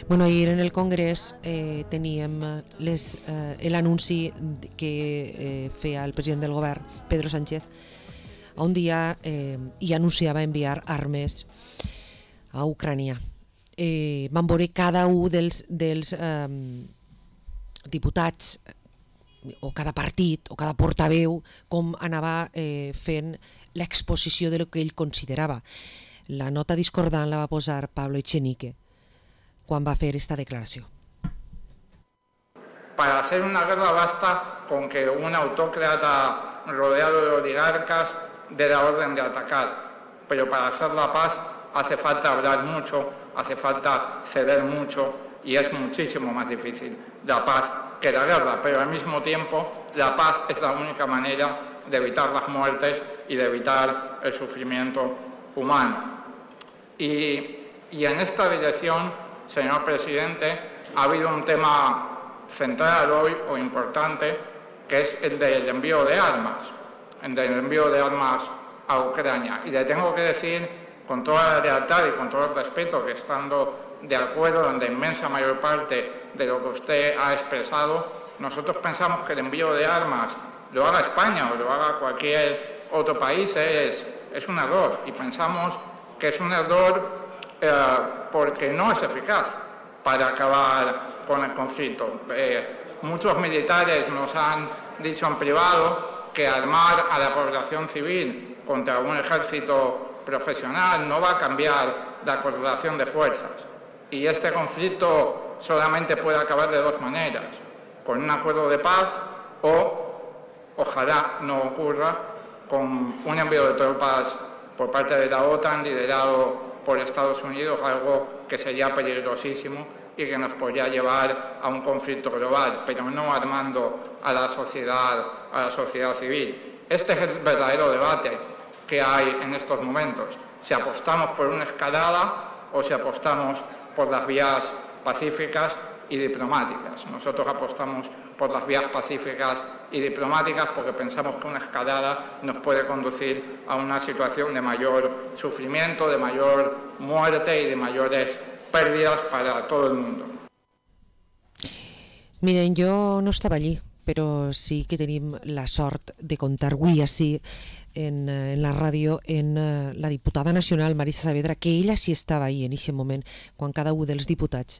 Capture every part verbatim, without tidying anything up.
Bueno, ahir en el Congrés eh, teníem les, eh, l'anunci que eh, feia el president del govern, Pedro Sánchez, un dia eh, i anunciava enviar armes a Ucrània. Eh, van veure cada un dels, dels eh, diputats o cada partit o cada portaveu com anava eh, fent l'exposició de lo que ell considerava. La nota discordant la va posar Pablo Echenique quan va fer esta declaració. Para hacer una guerra basta con que un autócrata rodeado de oligarcas dé la orden de atacar, pero para hacer la paz hace falta hablar mucho, hace falta ceder mucho y es muchísimo más difícil la paz que la guerra, pero al mismo tiempo la paz es la única manera de evitar las muertes y de evitar el sufrimiento humano. Y, y en esta dirección, señor presidente, ha habido un tema central hoy o importante, que es el del envío de armas, el del envío de armas a Ucrania. Y le tengo que decir, con toda la lealtad y con todo el respeto, que estando de acuerdo en la inmensa mayor parte de lo que usted ha expresado, nosotros pensamos que el envío de armas, lo haga España o lo haga cualquier otro país, es, es un error. Y pensamos que es un error eh, porque no es eficaz para acabar con el conflicto. Eh, muchos militares nos han dicho en privado que armar a la población civil contra un ejército profesional no va a cambiar la correlación de fuerzas. Y este conflicto solamente puede acabar de dos maneras, con un acuerdo de paz o, ojalá no ocurra, con un envío de tropas por parte de la OTAN liderado por Estados Unidos, algo que sería peligrosísimo y que nos podría llevar a un conflicto global, pero no armando a la sociedad, a la sociedad civil. Este es el verdadero debate que hay en estos momentos. Si apostamos por una escalada o si apostamos por las vías pacíficas y diplomáticas. Nosotros apostamos por las vías pacíficas y diplomáticas porque pensamos que una escalada nos puede conducir a una situación de mayor sufrimiento, de mayor muerte y de mayores pérdidas para todo el mundo. Miren, jo no estava allí, però sí que tenim la sort de comptar avui així en, en la ràdio en la diputada nacional Marisa Saavedra, que ella sí estava ahí en aquest moment, quan cada un dels diputats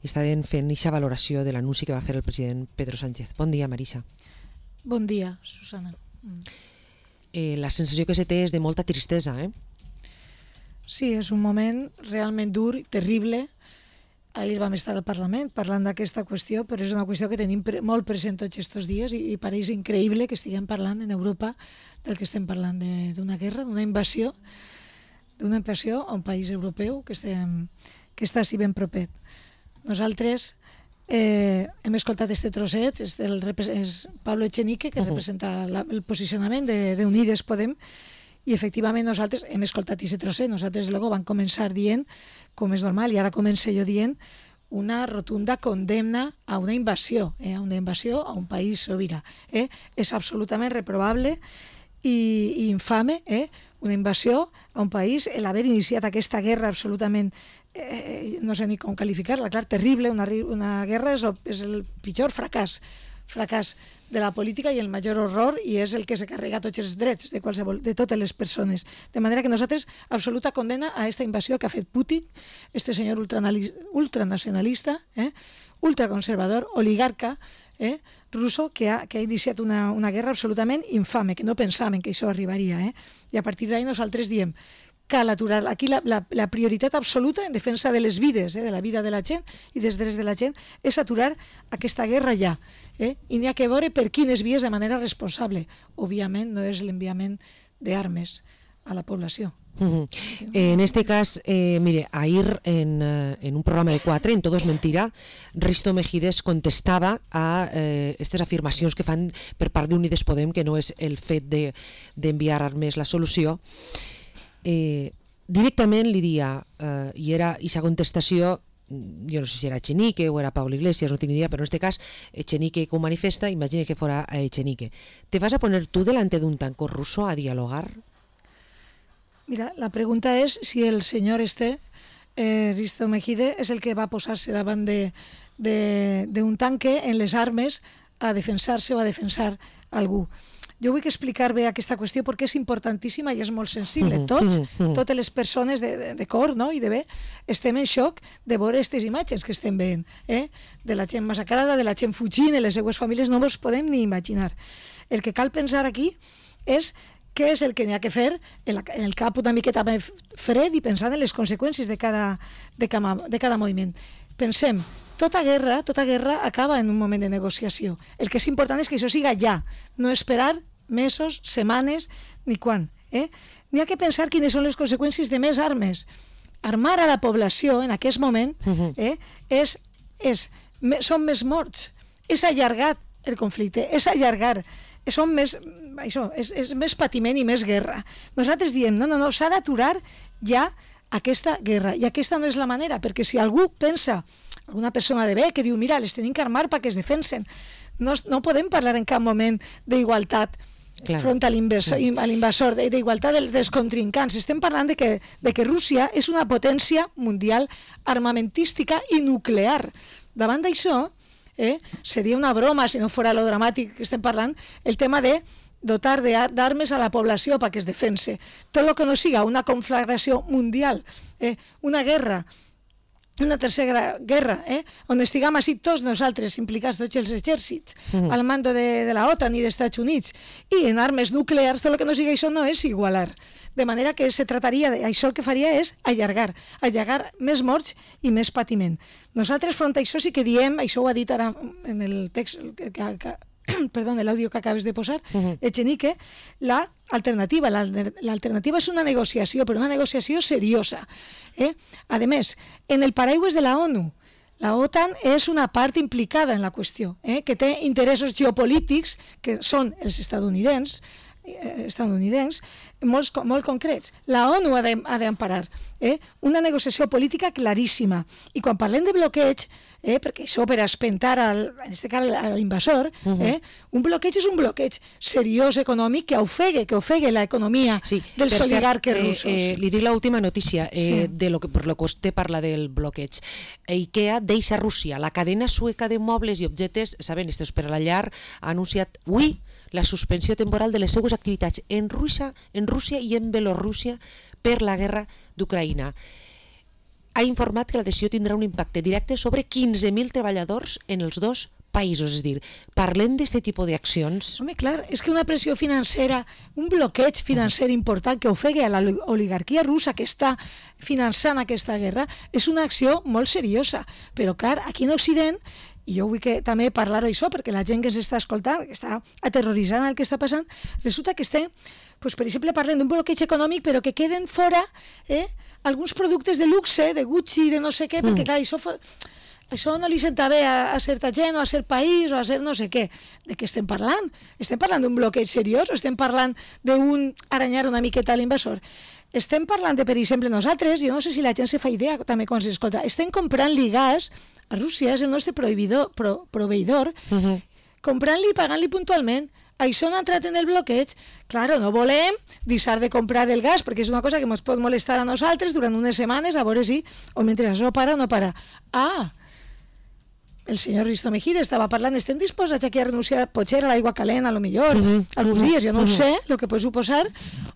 estaven fent aquesta valoració de l'anunci que va fer el president Pedro Sánchez. Bon dia, Marisa. Bon dia, Susana. Mm. Eh, la sensació que se té és de molta tristesa, eh? Sí, és un moment realment dur, terrible. Ahir vam estar al Parlament parlant d'aquesta qüestió, però és una qüestió que tenim pre molt present tots aquests dies i, i pareix increïble que estiguem parlant en Europa del que estem parlant, d'una guerra, d'una invasió, d'una invasió a un país europeu que, estem, que està així ben propet. Nosaltres eh, hem escoltat este trosset, és, del, és Pablo Echenique, que uh -huh. representa la, el posicionament de, de Unides Podem, i efectivament nosaltres hem escoltat aquest trosset. Nosaltres luego vam començar dient, com és normal, i ara començo jo dient, una rotunda condemna a una invasió, eh, a una invasió a un país sobirà. Eh? És absolutament reprovable i, i infame, eh? Una invasió a un país, l'haver iniciat aquesta guerra absolutament, eh, no sé ni com qualificar-la, clar, terrible, una, una guerra és el, és el pitjor fracàs, fracàs de la política i el major horror, i és el que se carrega tots els drets de qualsevol, de totes les persones. De manera que nosaltres, absoluta condena a aquesta invasió que ha fet Putin, este senyor ultranacionalista, eh, ultraconservador, oligarca, eh, russo, que ha, que ha iniciat una, una guerra absolutament infame, que no pensaven que això arribaria. Eh? I a partir d'ahí nosaltres diem cal aturar. Aquí la, la, la prioritat absoluta en defensa de les vides, eh, de la vida de la gent i dels drets de la gent, és aturar aquesta guerra ja. Eh? I n'hi ha que veure per quines vies de manera responsable. Òbviament no és l'enviament d'armes a la població. Uh-huh. En este cas, eh, mire, ahir en, en un programa de quatre, en Todo es Mentira, Risto Mejides contestava a eh, aquestes afirmacions que fan per part d'Unides Podem, que no és el fet d'enviar de, armes la solució. Eh, directament li dia, eh, i era aquesta contestació, jo no sé si era Echenique o era Pablo Iglesias, no tinc idea, però en este cas Echenique que ho manifesta, imagina que fora Echenique. ¿Te vas a poner tú delante de un tanco ruso a dialogar? Mira, la pregunta és si el senyor este eh, Risto Mejide és el que va posar-se davant d'un tanque en les armes a defensar-se o a defensar algú. Jo vull explicar bé aquesta qüestió perquè és importantíssima i és molt sensible. Tots, totes les persones de, de, de cor, no?, i de bé, estem en xoc de veure aquestes imatges que estem veient, eh? De la gent massacrada, de la gent fugint, de les seues famílies, no ens podem ni imaginar. El que cal pensar aquí és què és el que n'hi ha que fer en, la, en el cap una miqueta més fred i pensant en les conseqüències de cada, de cada, de cada moviment. Pensem, tota guerra, tota guerra acaba en un moment de negociació. El que és important és que això siga ja, no esperar mesos, setmanes, ni quan. Eh? N'hi ha que pensar quines són les conseqüències de més armes. Armar a la població en aquest moment eh, és, és, són més morts. És allargat el conflicte, és allargar, són més, això, és, és més patiment i més guerra. Nosaltres diem, no, no, no, s'ha d'aturar ja aquesta guerra, i aquesta no és la manera, perquè si algú pensa, alguna persona de bé que diu, mira, les tenim que armar perquè es defensen, no, no podem parlar en cap moment d'igualtat claro. front a l'invasor, d'igualtat dels contrincants. Estem parlant de que, de que Rússia és una potència mundial armamentística i nuclear. Davant d'això, eh, seria una broma, si no fora lo dramàtic que estem parlant, el tema de dotar d'armes a la població perquè es defense. Tot el que no siga una conflagració mundial, eh, una guerra, una tercera guerra, eh, on estiguem així tots nosaltres implicats, tots els exèrcits, mm. al mando de, de la OTAN i dels Estats Units, i en armes nuclears, tot el que no siga això no és igualar. De manera que se trataria, de, això el que faria és allargar, allargar més morts i més patiment. Nosaltres, front a això, sí que diem, això ho ha dit ara en el text que, que, que perdó, l'àudio que acabes de posar, uh-huh. Echenique, l'alternativa. L'alternativa és una negociació, però una negociació seriosa. Eh? A més, en el paraigües de la ONU, la OTAN és una part implicada en la qüestió, eh? que té interessos geopolítics, que són els estadounidencs, eh, estadounidencs molt, molt concrets. La ONU ha d'emparar eh? una negociació política claríssima. I quan parlem de bloqueig, eh? perquè això per espentar al, en aquest cas a l'invasor, uh-huh. eh? un bloqueig és un bloqueig seriós econòmic que ofegue, que ofegue l'economia sí, dels oligarques eh, russos. Eh, li dic l'última notícia eh, sí. de lo que, per lo que vostè parla del bloqueig. IKEA deixa Rússia. La cadena sueca de mobles i objectes, saben, estos per a la llar, ha anunciat avui la suspensió temporal de les seues activitats en Rússia, en Rússia i en Bielorússia per la guerra d'Ucraïna. Ha informat que la decisió tindrà un impacte directe sobre quinze mil treballadors en els dos països. És a dir, parlem d'aquest tipus d'accions. Home, clar, és que una pressió financera, un bloqueig financer important que ofegui a l'oligarquia russa que està finançant aquesta guerra, és una acció molt seriosa. Però, clar, aquí en Occident, i jo vull que també parlar d'això, perquè la gent que ens està escoltant, que està aterroritzant el que està passant, resulta que estem, doncs, per exemple, parlant d'un bloqueig econòmic, però que queden fora eh, alguns productes de luxe, de Gucci, de no sé què, perquè, clar, això, això no li senta bé a, a certa gent o a cert país o a cert no sé què. De què estem parlant? Estem parlant d'un bloqueig seriós o estem parlant d'un aranyar una miqueta a l'invasor? Estem parlant de, per exemple, nosaltres, jo no sé si la gent se fa idea també quan s'escolta, estem comprant-li gas a Rússia, és el nostre proveïdor, pro, proveïdor uh-huh. comprant-li i pagant-li puntualment. Això no ha entrat en el bloqueig. Claro, no volem deixar de comprar el gas, perquè és una cosa que ens pot molestar a nosaltres durant unes setmanes, a veure si, o mentre això para o no para. Ah, el senyor Risto Mejide estava parlant, estem disposats aquí a renunciar potser a l'aigua calent, a lo millor, uh-huh. alguns uh-huh. dies, jo no uh-huh. sé el que pot suposar,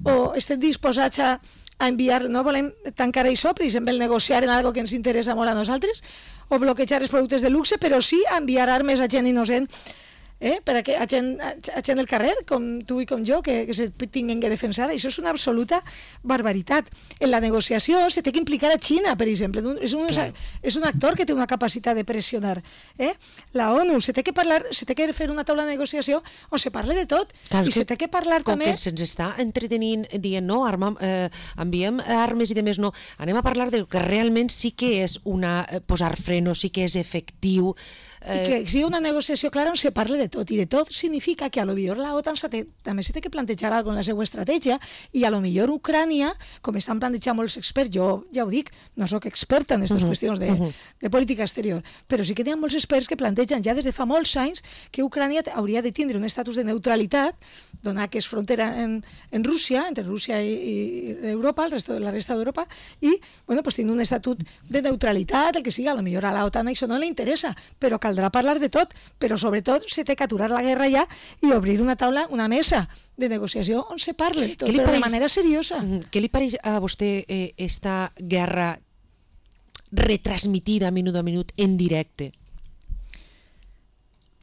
o estem disposats a, a enviar, no volem tancar això, per exemple, negociar en algo que ens interessa molt a nosaltres, o bloquejar els productes de luxe, però sí enviar armes a gent innocent, eh? per a, que, a, gent, a gent del carrer, com tu i com jo, que, que se tinguin que defensar. Això és una absoluta barbaritat. En la negociació se té que implicar a Xina, per exemple. És un, és un actor que té una capacitat de pressionar. Eh? La ONU, se té que parlar, se té que fer una taula de negociació on se parle de tot. Clar, i se té que parlar com també... Com que se'ns està entretenint dient, no, arma, eh, enviem armes i de més, no. Anem a parlar del que realment sí que és una, eh, posar freno, sí que és efectiu. I que sigui una negociació clara on se parle de de tot, i de tot significa que a lo millor la OTAN també s'ha de plantejar alguna cosa en la seva estratègia, i a lo millor Ucrània, com estan plantejant molts experts, jo ja ho dic, no sóc experta en aquestes uh -huh, qüestions de, uh -huh. de política exterior, però sí que hi ha molts experts que plantegen ja des de fa molts anys que Ucrània hauria de tindre un estatus de neutralitat, donar que és frontera en, en Rússia, entre Rússia i, i Europa, el resto, la resta d'Europa, i bueno, pues, tindre un estatut de neutralitat, el que siga, a lo millor a la OTAN això no li interessa, però caldrà parlar de tot, però sobretot se té que aturar la guerra ja i obrir una taula, una mesa de negociació on se parle, tot, però pareix, de manera seriosa. Què li pareix a vostè eh, esta guerra retransmitida minut a minut en directe?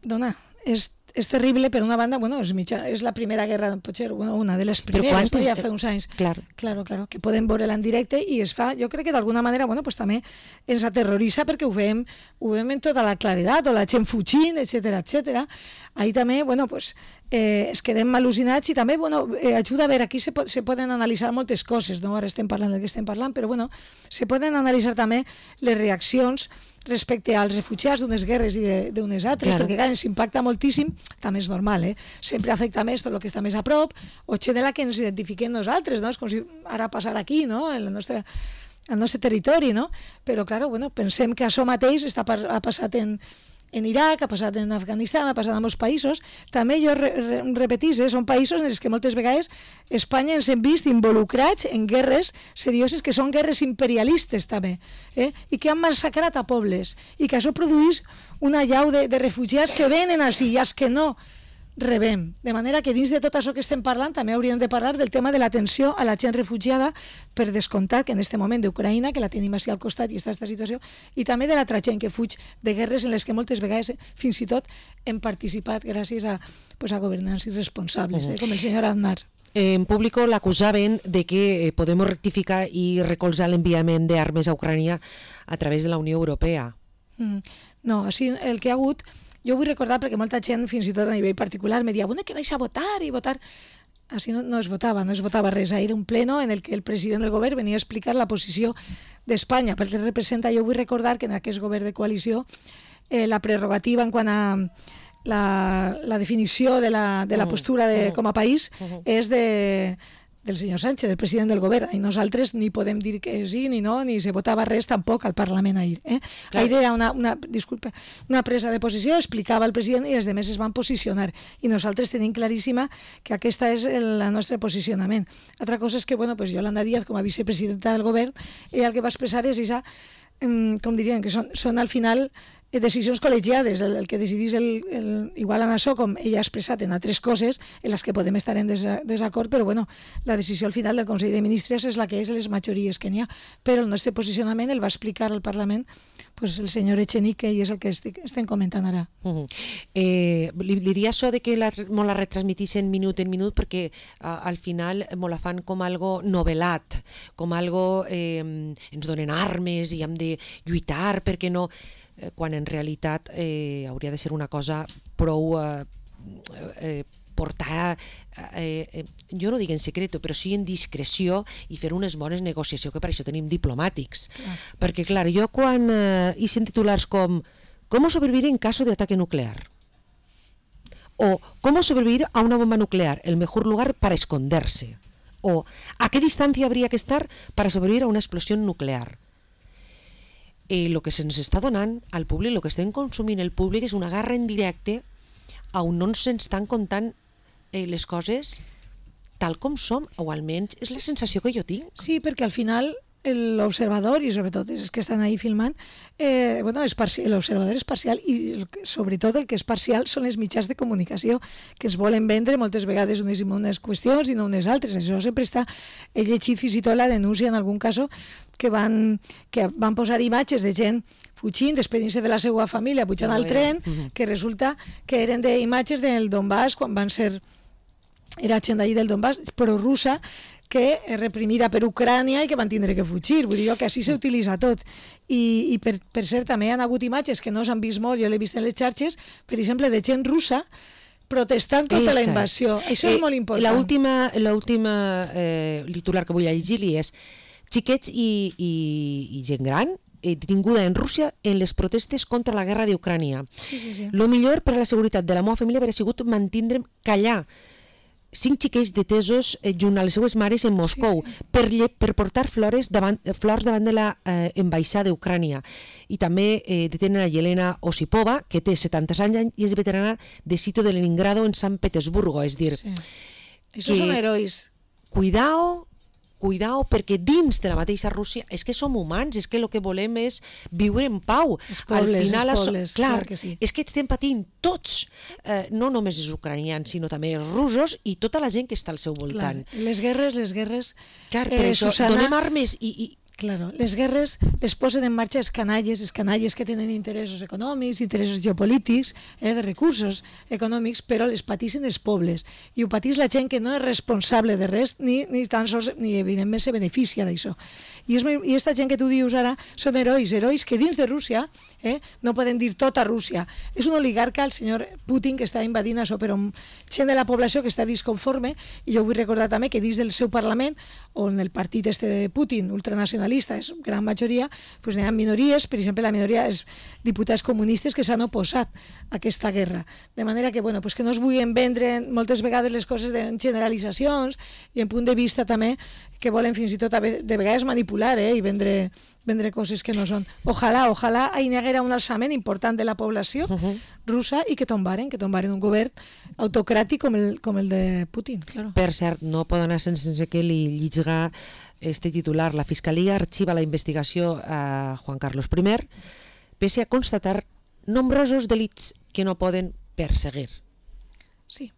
Dona, és, és terrible, per una banda, bueno, és, mitja, és la primera guerra, potser bueno, una de les primeres, ja fa uns anys, claro. Claro, claro, que podem veure-la en directe, i es fa, jo crec que d'alguna manera, bueno, pues també ens aterroritza perquè ho veiem, ho veiem en tota la claredat, o la gent fugint, etcètera, etcètera. Ahí també, bueno, pues, eh, es quedem al·lucinats, i també, bueno, eh, ajuda a veure, aquí se, po se poden analitzar moltes coses, no? Ara estem parlant del que estem parlant, però, bueno, se poden analitzar també les reaccions respecte als refugiats d'unes guerres i d'unes altres, claro. Perquè clar, ens impacta moltíssim, també és normal, eh? Sempre afecta més tot el que està més a prop, o gent de la que ens identifiquem nosaltres, no? És com si ara passar aquí, no? En el nostre, el nostre territori, no? Però, clar, bueno, pensem que això mateix està, ha passat en, en Iraq, ha passat en Afganistan, ha passat en molts països. També jo re, re, repetís, eh? Són països en els que moltes vegades Espanya ens hem vist involucrats en guerres serioses, que són guerres imperialistes també, eh? I que han massacrat a pobles, i que això produeix una llau de, de refugiats que venen així, i els que no rebem. De manera que dins de tot això que estem parlant també hauríem de parlar del tema de l'atenció a la gent refugiada, per descomptat que en aquest moment d'Ucraïna, que la tenim així al costat i està aquesta situació, i també de l'altra gent que fuig de guerres en les que moltes vegades fins i tot hem participat gràcies a, pues, a governants irresponsables, eh? Com el senyor Aznar. En público l'acusaven de que podemos rectificar i recolzar l'enviament d'armes a Ucrània a través de la Unió Europea. Mm. No, així el que ha hagut... Jo vull recordar, perquè molta gent, fins i tot a nivell particular, me deia, bueno, que vais a votar i votar... Així no, no es votava, no es votava res. Era un pleno en el que el president del govern venia a explicar la posició d'Espanya, perquè representa, jo vull recordar que en aquest govern de coalició eh, la prerrogativa en quant a la, la definició de la, de la postura de, com a país és de... del senyor Sánchez, del president del govern, i nosaltres ni podem dir que sí ni no, ni se votava res tampoc al Parlament ahir. Eh? Ahir era una, una, disculpa, una presa de posició, explicava el president i els demés es van posicionar, i nosaltres tenim claríssima que aquesta és el, el nostre posicionament. Altra cosa és que, bueno, pues Yolanda Díaz, com a vicepresidenta del govern, ella el que va expressar és esa, com dirien, que són, són al final decisions col·legiades, el, el que decidís el, el, igual en això, com ella ha expressat en altres coses en les que podem estar en desa, desacord, però bueno, la decisió al final del Consell de Ministres és la que és, les majories que n'hi ha, però el nostre posicionament el va explicar al Parlament pues, el senyor Echenique, i és el que estic, estem comentant ara. Uh -huh. eh, li diria això de que la, molt la retransmitixen minut en minut, perquè uh, al final molt la fan com algo novel·lat, com algo eh, ens donen armes i hem de lluitar perquè no... quan en realitat eh, hauria de ser una cosa prou eh, eh, portar, eh, eh, jo no dic en secreto, però sí en discreció, i fer unes bones negociacions, que per això tenim diplomàtics. Ah. Perquè, clar, jo quan eh, he sent titulars com «¿Cómo sobrevivir en caso de ataque nuclear?» o «¿Cómo sobrevivir a una bomba nuclear? El mejor lugar para esconderse?» o «¿A qué distancia habría que estar para sobrevivir a una explosión nuclear?» Eh, lo que se'ns està donant al públic, el que estem consumint el públic és una guerra en directe on no ens estan contant eh, les coses tal com som, o almenys és la sensació que jo tinc. Sí, perquè al final l'observador, i sobretot els que estan ahí filmant, eh, bueno, l'observador és parcial, i sobretot el que és parcial són els mitjans de comunicació, que es volen vendre moltes vegades unes, unes qüestions i no unes altres. Això sempre està... He llegit fins i tot la denúncia en algun cas que van, que van posar imatges de gent fugint, despedint-se de la seva família, pujant al tren, que resulta que eren d'imatges del Donbass, quan van ser... Era gent d'ahir del Donbass, però russa, que és reprimida per Ucrània i que van tindre que fugir. Vull dir que així s'utilitza tot. I, i per, per cert, també hi ha hagut imatges que no s'han vist molt, jo l'he vist en les xarxes, per exemple, de gent russa protestant contra la invasió. Això és eh, molt important. L'última l'última eh, titular que vull llegir-li és xiquets i, i, i gent gran eh, detinguda en Rússia en les protestes contra la guerra d'Ucrània. Sí, sí, sí. Lo millor per a la seguretat de la meva família hauria sigut mantindre'm callar cinc xiquets detesos eh, junt a les seues mares en Moscou sí, sí. Per, per portar flores davant, flors davant de la eh, embaixada d'Ucrània. I també eh, detenen a Yelena Osipova, que té setanta anys i és veterana de sitio de Leningrado en Sant Petersburgo. És dir, sí. Esos són herois. Cuidao, cuidao, perquè dins de la mateixa Rússia és que som humans, és que el que volem és viure en pau. Els pobles, Al final, els pobles, clar, clar que sí. És que estem patint tots, eh, no només els ucranians, sinó també els russos i tota la gent que està al seu voltant. Clar. Les guerres, les guerres... Clar, per eh, això Susana... donem armes i... i Claro, les guerres les posen en marxa els canalles, els canalles que tenen interessos econòmics, interessos geopolítics, eh, de recursos econòmics, però les patissin els pobles. I ho patís la gent que no és responsable de res, ni, ni tan sols, ni evidentment se beneficia d'això. I, és, I esta gent que tu dius ara són herois, herois que dins de Rússia eh, no poden dir tota Rússia. És un oligarca, el senyor Putin, que està invadint això, però gent de la població que està disconforme, i jo vull recordar també que dins del seu Parlament, on el partit este de Putin, ultranacional, és gran majoria, doncs hi ha minories, per exemple, la minoria és diputats comunistes que s'han oposat a aquesta guerra. De manera que, bueno, pues que no es vulguin vendre moltes vegades les coses en generalitzacions i en punt de vista també que volen fins i tot de vegades manipular eh, i vendre, vendre coses que no són. Ojalà, ojalà hi haguera un alçament important de la població uh -huh. russa i que tombaren, que tombaren un govern autocràtic com el, com el de Putin. Claro. Per cert, no pot anar sense que li llitga este titular. La Fiscalia arxiva la investigació a Juan Carlos primer pese a constatar nombrosos delits que no poden perseguir. Sí,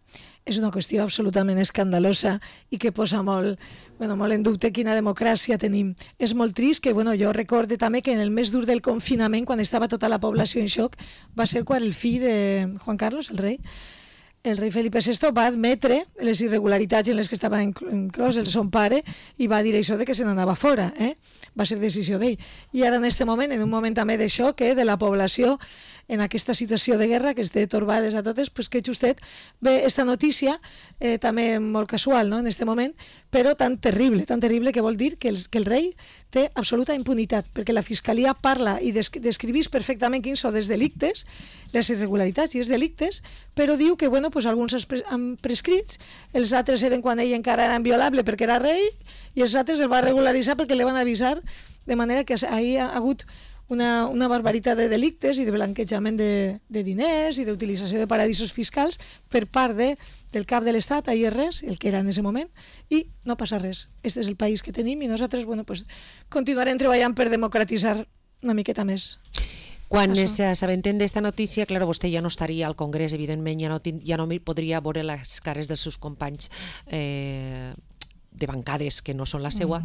és una qüestió absolutament escandalosa i que posa molt, bueno, molt en dubte quina democràcia tenim. És molt trist que, bueno, jo recorde també que en el més dur del confinament, quan estava tota la població en xoc, va ser quan el fill de Juan Carlos, el rei, el rei Felipe sexto va admetre les irregularitats en les que estava inclòs el son pare i va dir això de que se n'anava fora, eh? Va ser decisió d'ell. I ara en aquest moment, en un moment també de xoc eh, de la població, en aquesta situació de guerra que es té torbades a totes, pues que justet ve esta notícia, eh, també molt casual no? En aquest moment, però tan terrible, tan terrible que vol dir que el, que el rei té absoluta impunitat, perquè la Fiscalia parla i desc descrivís perfectament quins són els delictes, les irregularitats i els delictes, però diu que bueno, pues alguns han prescrits, els altres eren quan ell encara era inviolable perquè era rei, i els altres el va regularitzar perquè li van avisar, de manera que ahir ha hagut una, una barbaritat de delictes i de blanquejament de, de diners i d'utilització de paradisos fiscals per part de, del cap de l'Estat, ahir res, el que era en aquest moment, i no passa res. Este és el país que tenim i nosaltres bueno, pues, continuarem treballant per democratitzar una miqueta més. Quan s'assabenten d'esta notícia, clar, vostè ja no estaria al Congrés, evidentment, ja no, ja no podria veure les cares dels seus companys eh, de bancades que no són la seua.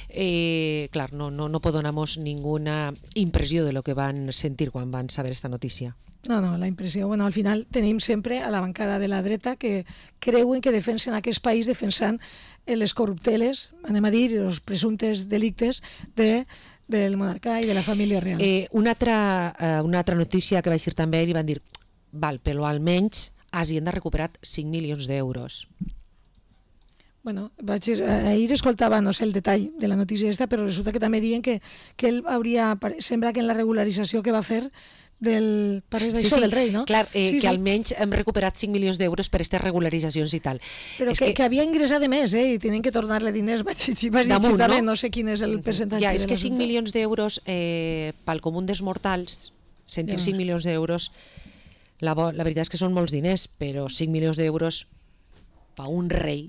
Eh, clar, no, no, no pot donar-nos ninguna impressió de lo que van sentir quan van saber esta notícia. No, no, la impressió, bueno, al final tenim sempre a la bancada de la dreta que creuen que defensen aquest país defensant les corrupteles, anem a dir, els presumptes delictes de del monarca i de la família real. Eh, una, altra, eh, una altra notícia que vaig dir també i van dir, val, però almenys Hacienda ha recuperat cinc milions d'euros. Bueno, vaig, ahir escoltava, no sé el detall de la notícia esta, però resulta que també diuen que, que ell hauria, sembla que en la regularització que va fer del, pareix d'això, sí, sí, del rei, no? Clar, eh, sí, que sí. almenys hem recuperat cinc milions d'euros per aquestes regularitzacions i tal. Però que, que... que havia ingressat de més, eh? I tenen que tornar-le diners, vaig dir, vaig dir també, no? no sé quin és el percentatge. Ja, és que cinc milions d'euros eh, pel comú dels mortals, sentir ja. cinc milions d'euros, la, la veritat és que són molts diners, però cinc milions d'euros per un rei.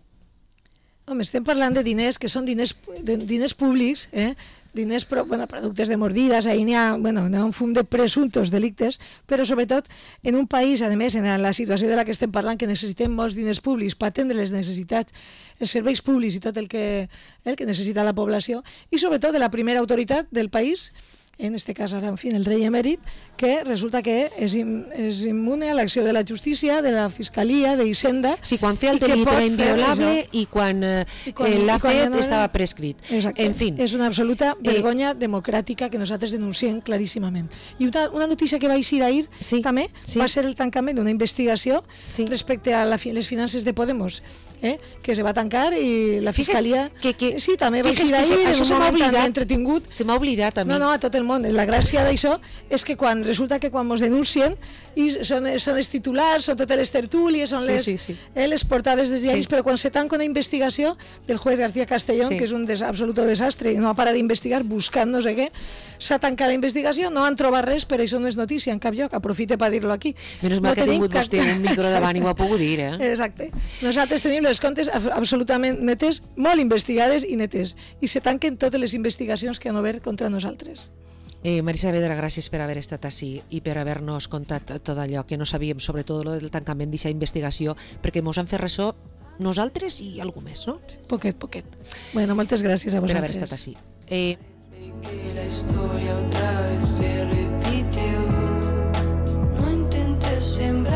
Home, estem parlant de diners que són diners, de, diners públics, eh? diners, pro, bueno, productes de mordides, ahí n'hi ha, bueno, n'hi ha un fum de presumptos delictes, però sobretot en un país, a més, en la situació de la que estem parlant, que necessitem molts diners públics per atendre les necessitats, els serveis públics i tot el que, el que necessita la població, i sobretot de la primera autoritat del país, en este cas ara, en fi, el rei emèrit, que resulta que és, im, és immune a l'acció de la justícia, de la fiscalia, d'Hisenda. Sí, quan feia el delit era inviolable i quan, eh, I quan l'ha fet no estava prescrit. Exacte. En fin. És una absoluta vergonya eh, democràtica que nosaltres denunciem claríssimament. I una, una notícia que va eixir ahir sí, també sí. va ser el tancament d'una investigació sí. respecte a la, les finances de Podemos eh? que se va tancar i la fiscalia... Que, que, sí, també va Fixa't ser que d'ahir, això en se un m'ha moment tan oblidat. entretingut. Se m'ha oblidat a mi. No, no, a tot el món. La gràcia d'això és que quan resulta que quan ens denuncien i són, són els titulars, són totes les tertúlies, són Sí, les, sí, sí. Eh, les portades dels diaris, Sí. però quan se tanca una investigació del juez García Castellón, Sí. que és un des, absoluto desastre i no ha parat d'investigar buscant no sé què, s'ha tancat la investigació, no han trobat res, però això no és notícia en cap lloc, aprofite per dir-lo aquí. Menys mal no que ha tenim tingut vostè un micro davant i ho ha pogut dir, eh? Exacte. Nosaltres tenim les comptes absolutament netes, molt investigades i netes, i se tanquen totes les investigacions que han obert contra nosaltres. Eh, Marisa Saavedra, gràcies per haver estat ací i per haver-nos contat tot allò que no sabíem, sobretot lo del tancament d'aquesta investigació, perquè mos han fet ressò nosaltres i algú més, no? Poquet, poquet. Bueno, moltes gràcies a Per vosaltres. haver estat ací. Eh, Que la historia otra vez se repite.